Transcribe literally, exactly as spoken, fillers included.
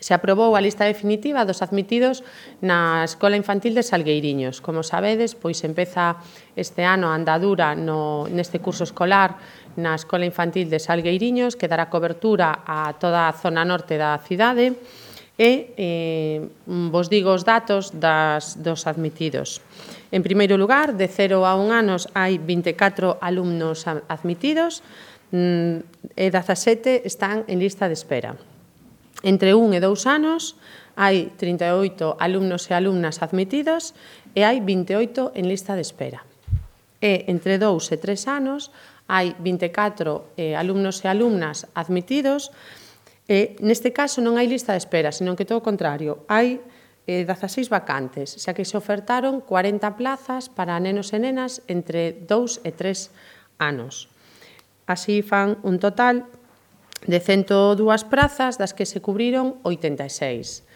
Se aprobou a lista definitiva dos admitidos na Escola Infantil de Salgueiriños. Como sabedes, pois empeza este ano a andadura no, neste curso escolar na Escola Infantil de Salgueiriños, que dará cobertura a toda a zona norte da cidade, e eh, vos digo os datos das, dos admitidos. En primeiro lugar, de cero a un anos hai vinte e catro alumnos admitidos e dezasete están en lista de espera. Entre un e dous anos hai trinta e oito alumnos e alumnas admitidos e hai vinte e oito en lista de espera. E entre dous e tres anos hai vinte e catro eh, alumnos e alumnas admitidos e neste caso non hai lista de espera, senón que todo o contrario, hai eh, dezaseis vacantes, xa que se ofertaron cuarenta plazas para nenos e nenas entre dous e tres anos. Así fan un total de cento dúas prazas, das que se cubriron oitenta e seis.